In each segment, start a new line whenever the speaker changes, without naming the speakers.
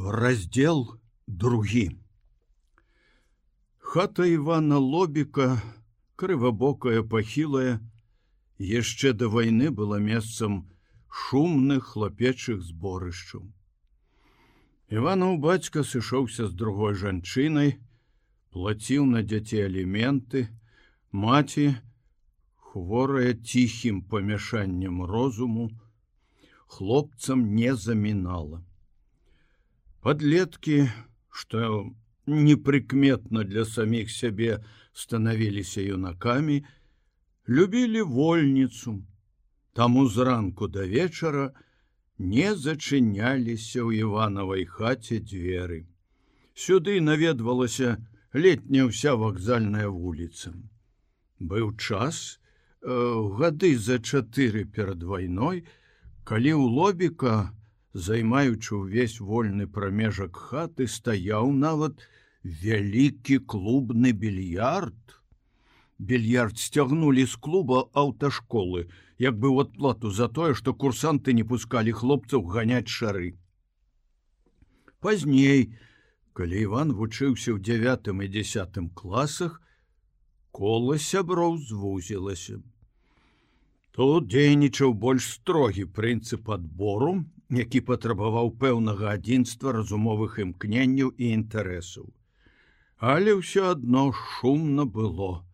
Раздзел 2. Хата Івана Лобіка, крывабокая, пахілая, яшчэ да вайны была месцам шумных хлапечых зборышчаў. Іванаў бацька сышоўся з другой жанчынай, плаціў на дзяцей аліменты, маці, хворая ціхім памяшаннем розуму, хлопцам не замінала. Падлеткі, што непрыкметна для саміх сябе станавіліся юнакамі, любілі вольніцу, таму зранку да вечара не зачыняліся ў Іванавай хаце дзверы. Сюды наведвалася летняя ўся вакзальная вуліца. Быў час, гады за 4 перад вайной, калі ў Лобіка, займаючы ўвесь вольны прамежак хаты, стаяў нават вялікі клубны більярд. Більярд сцягнулі з клуба аўташколы, як бы ў адплату за тое, што курсанты не пускалі хлопцаў ганяць шары. Пазней, калі Іван вучыўся ў 9 і 10 класах, кола сяброў звузілася. Тут дзейнічаў больш строгі прынцып адбору, які патрабаваў пэўнага адзінства разумовых імкненняў і інтарэсаў. Але ўсё адно шумна было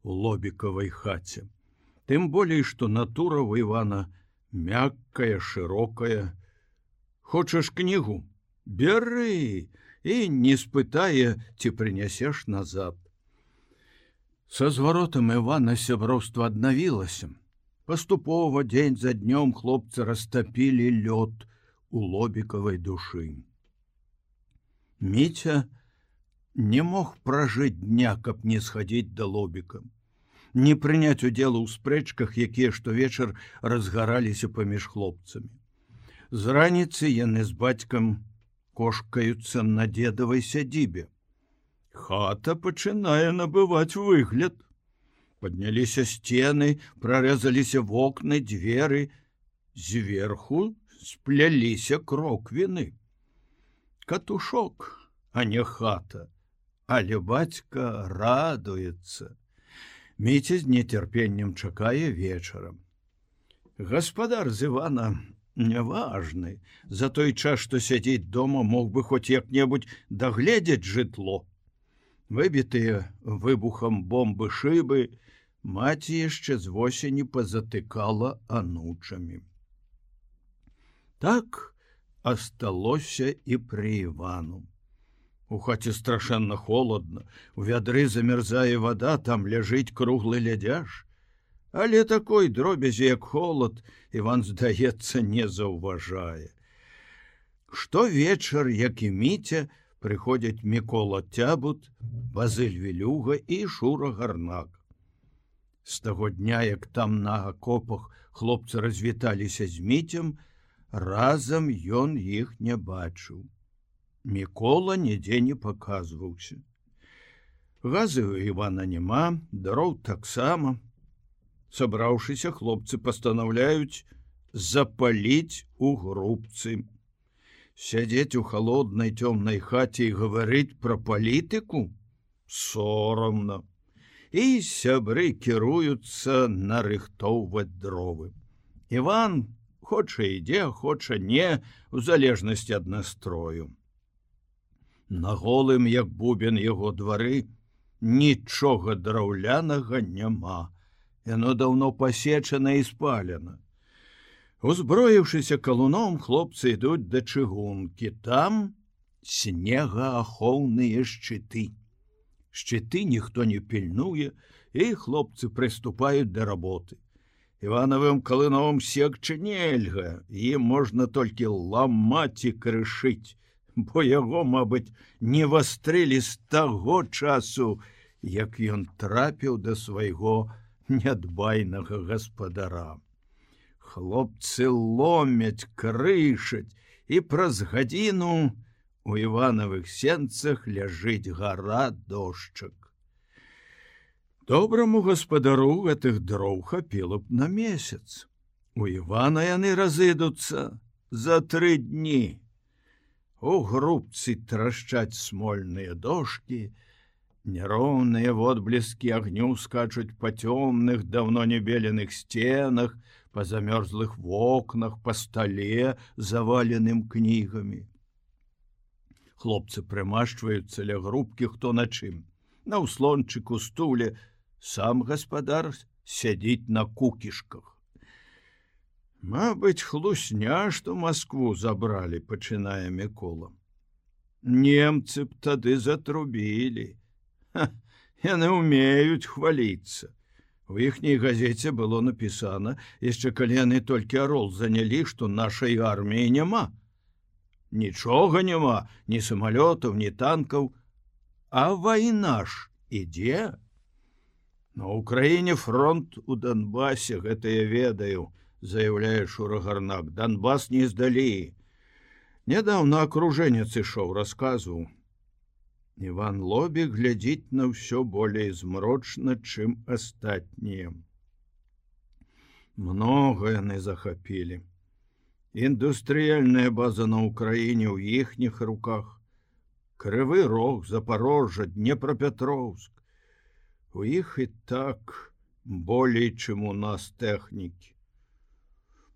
у Лобікавай хаце. Тым болей, што натура ў Івана мяккая, шырокая. Хочаш кнігу? Бяры, і не спытае, ці прынясеш назад. Са зваротам Івана сяброўства аднавілася. Паступова, дзень за днём, хлопцы растапілі лёд у Лобікавай душы. Міця не мог пражыць дня, каб не схадзіць да Лобіка, не прыняць удзелу ў спрэчках, якія штовечар разгараліся паміж хлопцамі. З раніцы яны з бацькам кошкаюцца на дзедавай сядзібе. Хата пачынае набываць выгляд. Падняліся сцены, прарэзаліся вокны, дзверы, зверху спляліся кроквіны. Катушок, а не хата, але бацька радуецца. Міця з нецярпеннем чакае вечарам. Гаспадар з Івана няважны, за той час, што сядзіць дома, мог бы хоць як-небудзь дагледзець жытло. Выбітыя выбухам бомбы шыбы маці яшчэ з восені пазатыкала анучамі. Так асталося і пры Івану. У хаце страшэнна холадна, у вядры замярзае вада, там ляжыць круглы лядзяж. Але такой дробязі, як холад, Іван, здаецца, не заўважае. Штовечар, як і Міця, прыходзяць Мікола Цябут, Базыль Вілюга і Шура Гарнак. З таго дня, як там на акопах хлопцы развіталіся з Міцем, разам ён іх не бачыў. Мікола нідзе не паказваўся. Газы ў Івана няма, дроў таксама. Сабраўшыся, хлопцы пастанаўляюць запаліць у грубцы. Сядзець у халоднай цёмнай хаце і гаварыць пра палітыку? Сорамна. І сябры кіруюцца нарыхтоўваць дровы. Іван хоча ідзе, хоча не, у залежнасці ад настрою. На голым, як бубен яго двары, нічога драўлянага няма. Яно даўно пасечана і спалена. Узброіўшыся калуном, хлопцы ідуць да чыгункі. Там снегаахоўныя шчыты. Шчыты ніхто не пільнуе, і хлопцы прыступаюць да работы. Іванавым калыновым секчы нельга, ім можна толькі ламаць і крышыць, бо яго, мабыць, не вастрылі з таго часу, як ён трапіў да свайго нядбайнага гаспадара. Хлопцы ломяць, крышаць, і праз гадзіну у Іванавых сенцах ляжыць гара дошчак. Добраму гаспадару гэтых дроў хапіла б на месяц. У Івана яны разыдуцца за 3 дні. У грубцы трашчаць смольныя дошкі, няроўныя водбліскі агню скачуць па цёмных, даўно не беленых сценах, па замёрзлых вокнах, па стале, заваленым кнігамі. Хлопцы прымашчваюцца ля грубкі хто на чым. На ўслончыку стуле сам гаспадар сядзіць на кукішках. Мабыць, хлусня, што Маскву забралі, пачынае Мікола. Немцы б тады затрубілі. Яны ўмеюць хваліцца. У іхняй газеце было напісана, яшчэ калі яны толькі Арол занялі, што нашай арміі няма. Нічога няма, ні самалётаў, ні танкаў, а вайна ж ідзе. На Украіне фронт у Донбасе, гэта я ведаю, заяўляе Шура Гарнак. Донбас не здалі. Нядаўна акружэнец ішоў, расказваў. Іван Лобі глядзіць на ўсё болей змрочна, чым астатнія. Многа яны захапілі. Індустрыяльная база на Украіне ў іхніх руках. Крывы Рог, Запорожжа, Днепропетровск. У іх і так болей, чым у нас тэхнікі.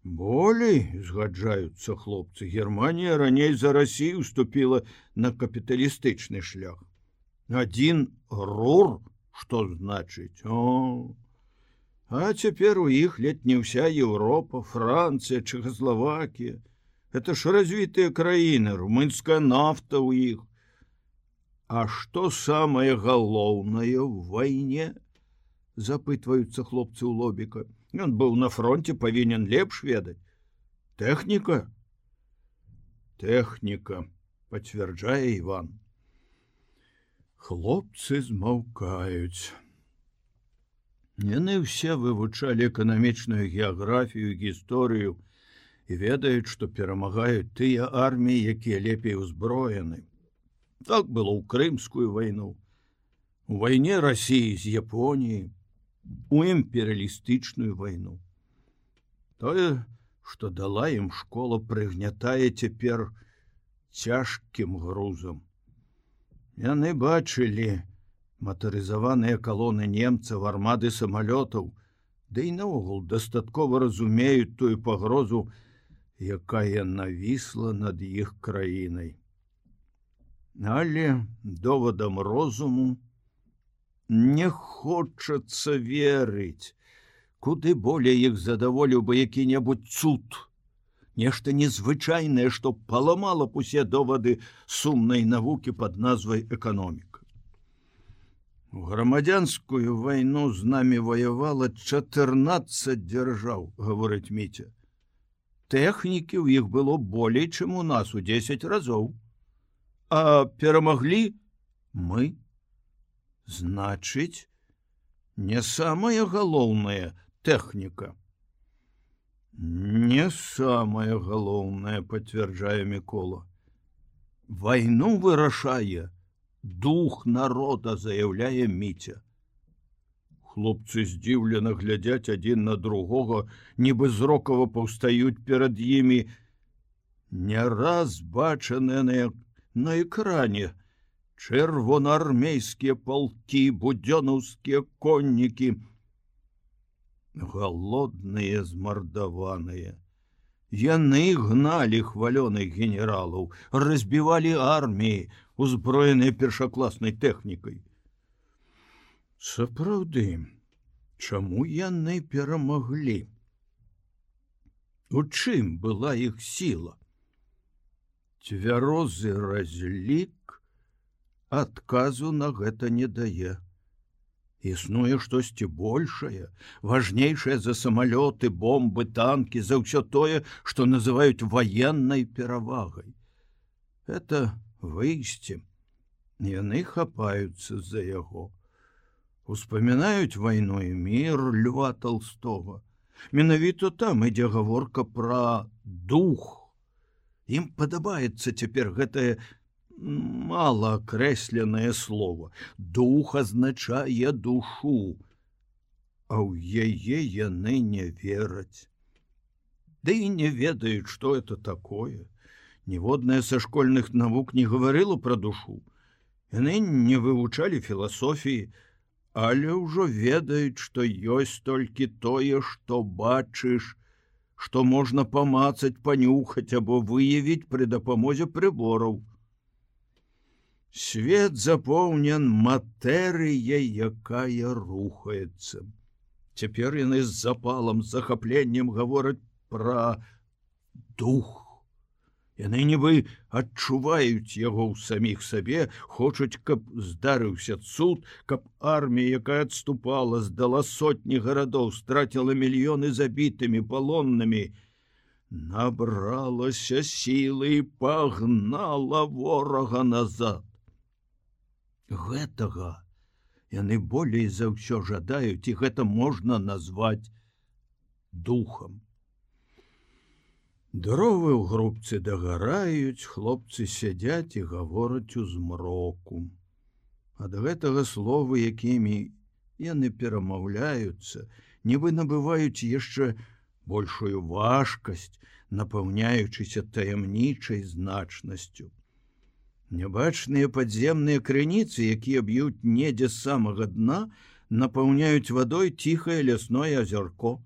Болей, згаджаюцца хлопцы, Германія раней за Расію уступіла на капіталістычны шлях. Адзін рур, што значыць? О! А цяпер у іх ледь не ўся Еўропа, Францыя, Чэхаславакія. Это ж развітыя краіны, румынская нафта ў іх. А што самае галоўнае ў вайне? Запытваюцца хлопцы ў Лобіка. Ён быў на фронте, павінен лепш ведаць. Тэхніка? Тэхніка, пацвярджае Іван. Хлопцы змаўкаюць. Яны ўсе вывучалі эканамічную геаграфію, гісторыю і ведаюць, што перамагаюць тыя арміі, якія лепей узброены. Так было ў Крымскую вайну, у вайне Расіі з Японіяй, у імперыялістычную вайну. Тое, што дала ім школа, прыгнятае цяпер цяжкім грузам. Яны бачылі матарызаваныя калоны немцаў, армады самалётаў, ды і наогул дастаткова разумеюць тую пагрозу, якая навісла над іх краінай. Але довадам розуму не хочацца верыць. Куды болей іх задаволіў бы які-небудзь цуд. Нешта незвычайнае, што паламала б усе довады сумнай навукі пад назвай эканоміка. У грамадзянскую вайну з намі ваявала 14 дзяржаў, гаворыць Міця. Тэхнікі ў іх было болей, чым у нас у 10 разоў. А перамаглі мы. Значыць, не самая галоўная тэхніка. Не самая галоўная, пацвярджае Мікола. Вайну вырашае дух народа, заяўляе Міця. Хлопцы здзіўлена глядзяць адзін на другога, нібы зрокава паўстаюць перад імі. Не раз бачаныя на экране чырвонаармейскія палкі, будзёнаўскія коннікі. Галодныя, змардаваныя. Яны гналі хвалёных генералаў, разбівалі арміі, узброеныя першакласнай тэхнікай. Сапраўды, чаму яны перамаглі? У чым была іх сіла? Цвярозы разлік адказу на гэта не дае. Існуе штосьці большае, важнейшае за самалёты, бомбы, танкі, за ўсё тое, што называюць ваеннай перавагай. Это выйсце. Яны хапаюцца за яго. Успамінаюць вайну і мір Льва Толстога. Менавіта там ідзе гаворка пра дух. Ім падабаецца цяпер гэтае малаакрэсленае слово. Дух азначае душу, а ў яе яны не вераць. Ды і не ведаюць, што это такое. Ніводная са школьных навук не гаварыла пра душу. Яны не вывучалі філасофіі, але ўжо ведаюць, што ёсць толькі тое, што бачыш, што можна памацаць, панюхаць або выявіць пры дапамозе прыбораў. Свет запоўнен матэрыяй, якая рухаецца. Цяпер яны з запалам, з захапленнем гавораць пра дух. Яны нібы адчуваюць яго ў саміх сабе, хочуць, каб здарыўся цуд, каб армія, якая адступала, здала сотні гарадоў, страціла мільёны забітымі, палоннымі, набралася сілы і пагнала ворага назад. Гэтага яны болей за ўсё жадаюць, і гэта можна назваць духам. Дровы ў грубцы дагараюць, хлопцы сядзяць і гавораць у змроку. Ад гэтага словы, якімі яны перамаўляюцца, нібы набываюць яшчэ большую важкасць, напаўняючыся таямнічай значнасцю. Нябачныя падземныя крыніцы, якія б'юць недзе з самага дна, напаўняюць вадой ціхае лясное азярко.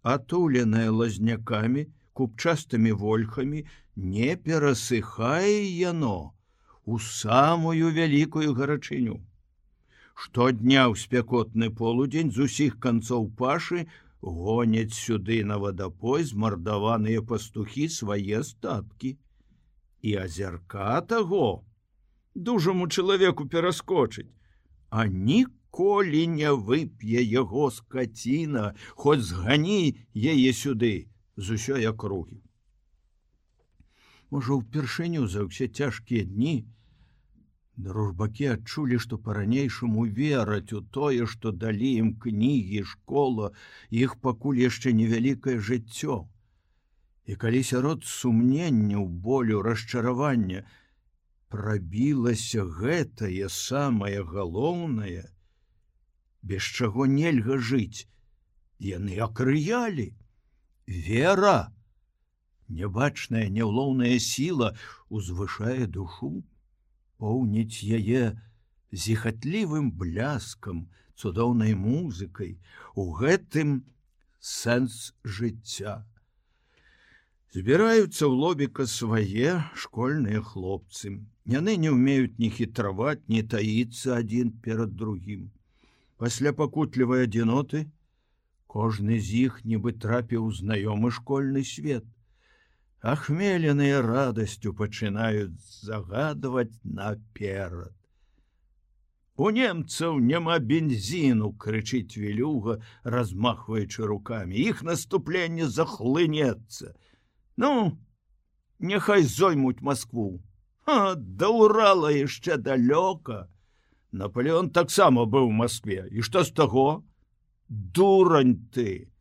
Атуленае лазнякамі, купчастымі вольхамі, не перасыхае яно у самую вялікую гарачыню. Штодня ў спякотны полудзень з усіх канцоў пашы гоняць сюды на вадапой змардаваныя пастухі свае статкі. І азярка таго дужаму чалавеку пераскочыць, а ніколі не вып'е яго скаціна, хоць згані яе сюды з усёй акругі. Можа, упершыню за ўсе цяжкія дні дружбакі адчулі, што па-ранейшаму вераць у тое, што далі ім кнігі, школа, іх пакуль яшчэ невялікае жыццё. І калі сярод сумненняў, болю, расчаравання прабілася гэтае самае галоўнае, без чаго нельга жыць, яны акрыялі. Вера, нябачная, няўлоўная сіла узвышае душу, поўніць яе зіхатлівым бляскам, цудоўнай музыкай. У гэтым сэнс жыцця. Збіраюцца ў лобіка свае школьныя хлопцы. Яны не ўмеюць ні хітраваць, ні таіцца адзін перад другім. Пасля пакутлівай адзіноты кожны з іх нібы трапіў у знаёмы школьны свет. Ахмеленыя радасцю пачынаюць загадваць наперад. У немцаў няма бензіну, крычыць Вілюга, размахваючы рукамі. Іх наступленне захлынецца. Ну, няхай зоймуць Маскву. Да Урала яшчэ далёка. Наполеон таксама быў у Маскве. І што з таго? Дурань ты!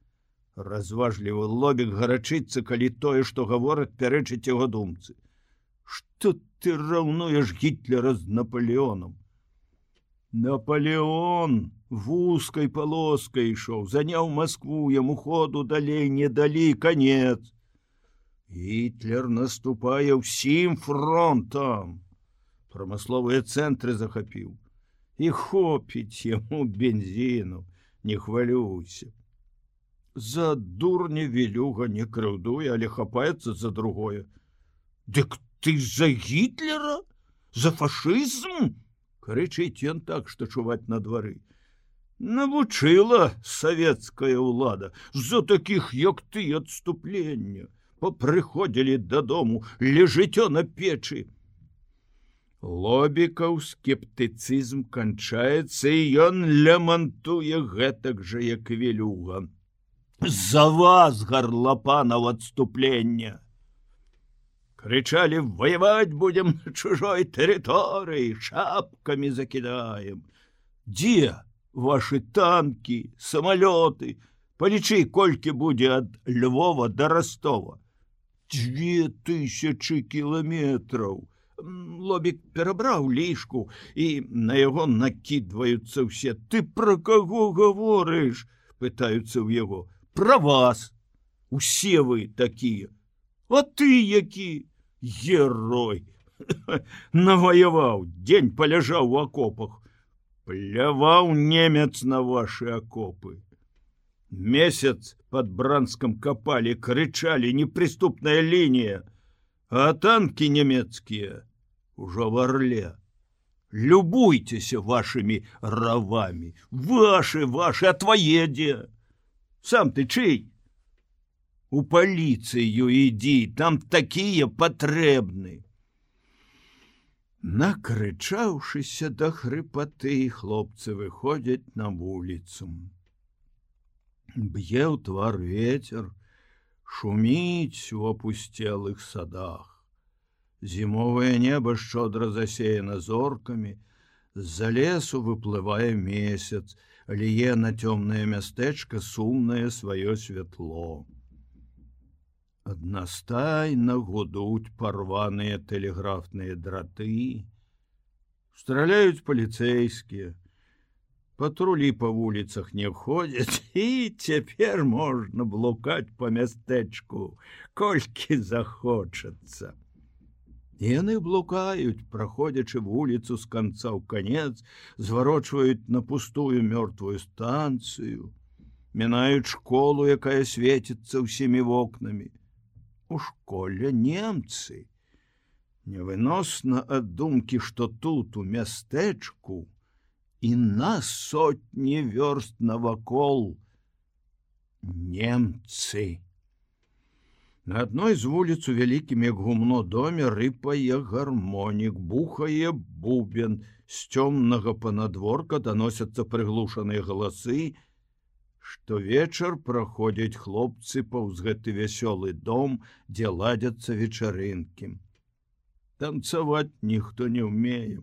Разважлівы лобік гарачыцца, калі тое, што гавораць, пярэчыць яго думцы. Што ты раўнуеш Гітлера з Наполеоном? Наполеон вузкай палоскай ішоў, заняў Маскву, яму ходу далей не далі, канец. Гітлер наступае ўсім фронтам. Прамысловыя цэнтры захапіў. І хопіць яму бензіну, не хвалюйся. За дурня Вілюга не крыўдуе, але хапаецца за другое. Дык ты за Гітлера? За фашызм? Крычыць ён так, што чуваць на двары. Навучыла савецкая ўлада за такіх, як ты, адступлення. Попрыходзілі дадому, лежыццё на печы. Лобікаў скептыцызм канчаецца, і ён лямантуе гэтак жа, як Вілюга. За вас, гарлапанаў, адступлення! Крычалі, воевать будем на чужой тэрыторыі, шапкамі закідаем. Дзе ваши танкі, самалёты? Палічы, колькі будзе ад Львова да Ростова. 2000 кіламетраў. Лобік перабраў лішку, і на яго накідваюцца ўсе. Ты пра каго гаворыш? Пытаюцца ў яго. Пра вас. Усе вы такія. А ты які герой! Наваяваў, дзень паляжаў у акопах. Пляваў немец на ваши акопы. Месяц под Бранском копали, кричали: неприступная линия, а танки немецкие уже в Орле. Любуйтесь вашими ровами. Ваши, а твои где? Сам ты чей? У полицию иди, там такие потребны. Накрычаўшыся до хрипоты, хлопцы выходят на улицу. Б'е ў твар ветер, шуміць у опустелых садах. Зімовае небо шчодра засеяно зорками, з-за лесу выплывае месяц, лье на цёмнае мястэчка сумнае сваё святло. Аднастайна гудуць парваныя тэлеграфныя драты, страляюць паліцэйскія, патрулі па вуліцах не ходзяць, і цяпер можна блукаць па мястэчку, колькі захочацца. Яны блукаюць, праходзячы вуліцу з канца ў канец, зварочваюць на пустую мёртвую станцыю, мінаюць школу, якая свеціцца ўсімі вокнамі. У школе немцы. Невыносна ад думкі, што тут у мястэчку і на сотні вёрст навакол немцы. На адной з вуліц у вялікім як гумно доме рыпае гармонік, бухае бубен, з цёмнага панадворка даносяцца прыглушаныя галасы. Штовечар праходзяць хлопцы паўз гэты вясёлы дом, дзе ладзяцца вечарынкі. Танцаваць ніхто не ўмее.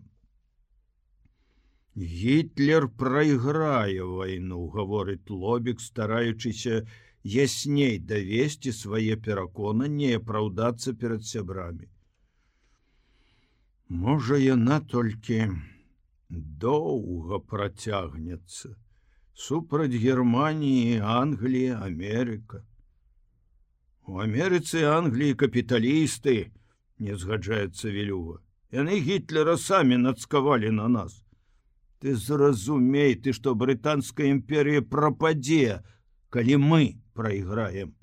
Гітлер прайграе вайну, гаворыць Лобік, стараючыся ясней давесці свае пераконанні і апраўдацца перад сябрамі. Можа, яна толькі доўга працягнецца. Супраць Германії, Англії, Америка. У Америцы и Англии капиталисты, не згаджаецца Вілюга. Яны Гітлера самі нацкавалі на нас. Ты зразумей, ты, што брытанская імперія прападзе, калі мы прайграем.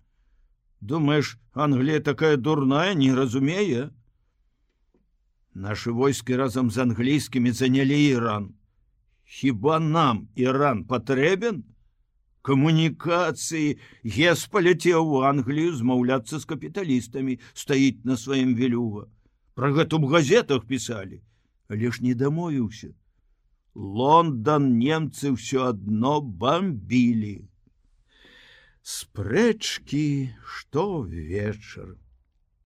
Думаеш, Англія такая дурная, не разумее? Нашы войскі разам з англійскімі занялі Іран. Хіба нам Іран патрэбен? Камунікацыі, Гес паляцеў у Англію змаўляцца з капіталістамі, стаіць на сваім Вілюга. Пра гэта ў газетах пісалі, але ж не дамовіўся. Лондан немцы ўсё адно бамбілі. Спрэчкі штовечар.